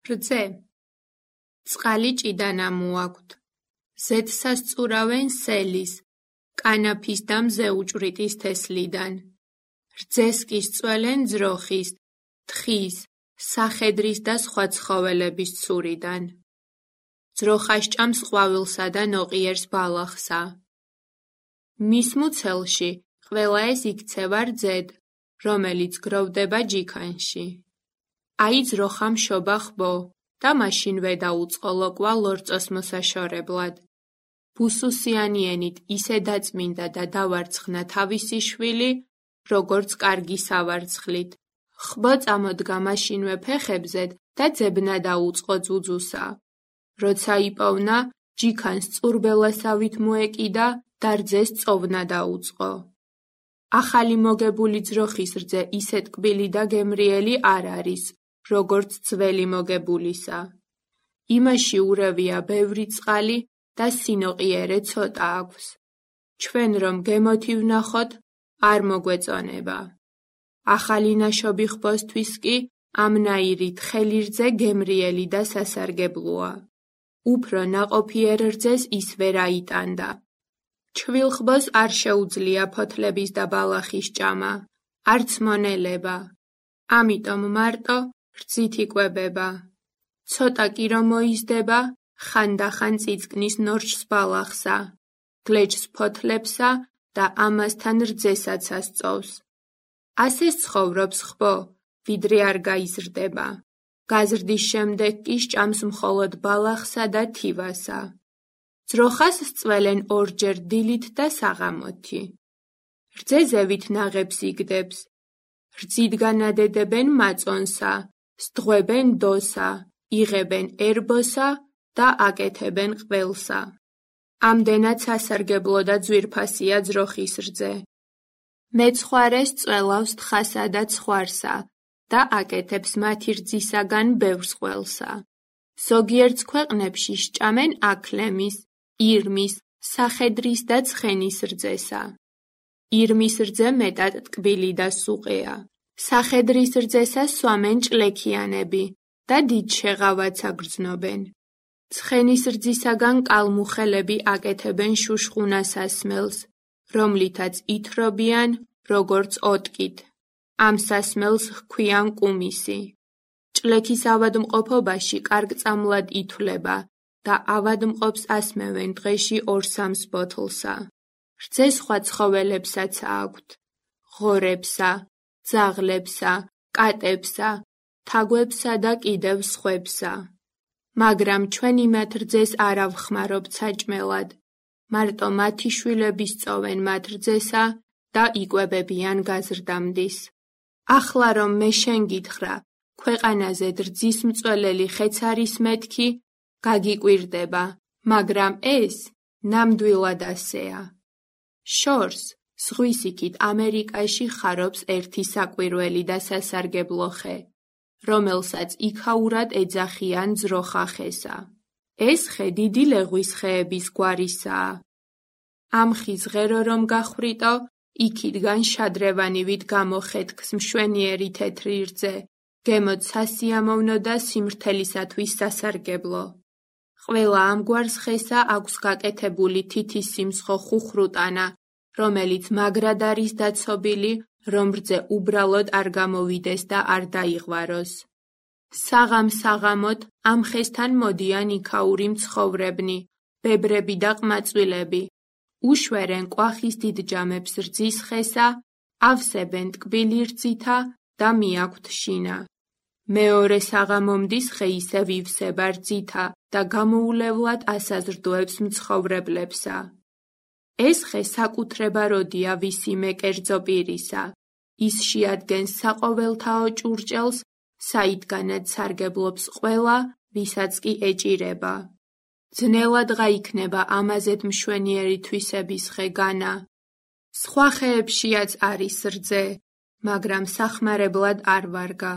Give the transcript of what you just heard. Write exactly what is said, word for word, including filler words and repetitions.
რძე. წყალი ჭიდანა მოაქვთ. ზედსას წურავენ სელის, კანაფის და მზეუჭვრიტის თესლიდან. რძეს კი სწველენ ძროხის, თხის, სახედრის და სხვა ცხოველების ცურიდან. ძროხა სჭამს ყვავილსა და ნოყიერს ბალახსა. მის მუცელში ყველა ეს იქცევა რძედ, რომელიც გროვდება ჯიქანში. აი ძროხამ შობა ხბო და მაშინვე დაუწყოლო კვა ლორწოს მოსაშორებლად. ბუსუსიანიენით ისე დაწმინდა და დავარცხნა თავისი შვილი, როგორც კარგი სავარცხლით. ხბო წამოდგა მაშინვე ფეხებზედ და ძებნა დაუწყო ძუძუსა. როცა იპოვნა, ჯიქანს წურბელასავით მოეკიდა და რძეს წოვნა დაუწყო. ახალი მოგებული ძროხის რძე ისე ტკბილი და გემრიელი არ არის, როგორც ძველი მოგებულისა. იმაში ურევია ბევრი წყალი და სინოყიერე ცოტა აქვს. ჩვენ რომ გემოთი ვნახოთ, არ მოგვეწონება. ახალი ნაშობი ხბოსთვის კი ამნაირი თხელი რძე გემრიელი და სასარგებლოა. უფრო ნაყოფიერ რძეს ის ვერ აიტანდა. ჩვილ ხბოს არ შეუძლია ფოთლების და ბალახის ჭამა, არც მონელება. ამიტომ მარტო რძით იკვებება. ცოტა კი რომ მოიზდება, ხანდახან წიწკნის ნორჩს ბალახსა, გლეჯს ფოთლებსა და ამასთან რძესაც ასწოვს. ასე ცხოვრობს ხბო, ვიდრე არ გაიზრდება. გაზრდის შემდეგ კი სჭამს მხოლოდ ბალახსა და თივასა. ძროხას სწველენ ორჯერ დილით და საღამოთი. რძე ზევით ნაღებს იგდებს. რძით განადედებენ მაწონსა, სდღვებენ დოსა, იღებენ ერბოსა და აკეთებენ ყველსა. ამდენად სასარგებლო და ძვირფასია ძროხის რძე. მეცხვარეს წველავს თხასა და ცხვარსა და აკეთებს მათი რძისაგან ბევრს ყველსა. ზოგიერთ ქვეყნებში სჭამენ აქლემის, ირმის, სახედრის და ცხენის რძესა. ირმის რძე მეტად ტკბილი და სუყეა. სახედრის რძესა სვამენ ჭლექიანები და დიდ შეღავაც აგრძნობენ. ცხენის რძისაგან კალმუხელები აკეთებენ შუშხუნას ასმელს, რომლითაც ითრობიან, როგორც ოტკით. ამ სასმელს ჰქვიან კუმისი. ჭლექის ავადმყოფობაში კარგწამლად ითვლება და ავადმყოფს ასმევენ დღეში ორ-სამს ბოთლსა. რძე სხვა ცხოველებსაც აქვთ. ღორებსა, ძაღლებსა, კატებსა, თაგვებსა და კიდევ სხვებსა. მაგრამ ჩვენ იმათ რძეს არ ავხმარობთ საჭმელად. მარტო მათი შვილები სწოვენ მათ რძესა და იკვებებიან გაზრდამდის. ახლა რომ მე შენ გითხრა, ქვეყანაზე რძის მწველელი ხეც არის მეთქი, გაგიკვირდება, მაგრამ ეს ნამდვილად ასეა. შორს, ზღვის იქით ამერიკაში ხარობს ერთი საკვირველი და სასარგებლო ხე, რომელსაც იქაურად ეძახიან ძროხა ხესა. ეს ხე დიდი ლეღვის ხეების გვარისაა. ამ ხის ღერო რომ გახვრიტო, იქიდან შადრევანივით გამოხეთქს მშვენიერი თეთრი რძე, გემოთ სასიამოვნო და სიმრთელისათვის სასარგებლო. ყველა ამგვარ ხესა აქვს გაკეთებული თითის სიმცხო ხუხრუტანა, რომელიც მაგრად არის დაცობილი, რომ რძე უბრალოდ არ გამოვიდეს და არ დაიღვაროს. საღამ-საღამოთ ამ ხესთან მოდიან იქაური მცხოვრებნი, ბებრები და ყმაწვილები. უშვერენ კვახის დიდ ჯამებს რძის ხესა, ავსებენ ტკბილი რძითა და მიაქვთ შინა. მეორე საღამომდის ხე ისევ ივსება რძითა და გამოულევლად ასაზრდოებს მცხოვრებლებსა. ეს ხე საკუთრება როდია ვისიმე კერძო პირისა. ის შეადგენს საყოველთაო ჭურჭელს, საიდანაც სარგებლობს ყველა, ვისაც კი ეჭირება. ძნელად გაიქნება ამაზედ მშვენიერი თვისების ხე განა. სხვა ხეებშიაც არის რძე, მაგრამ სახმარებლად არ ვარგა.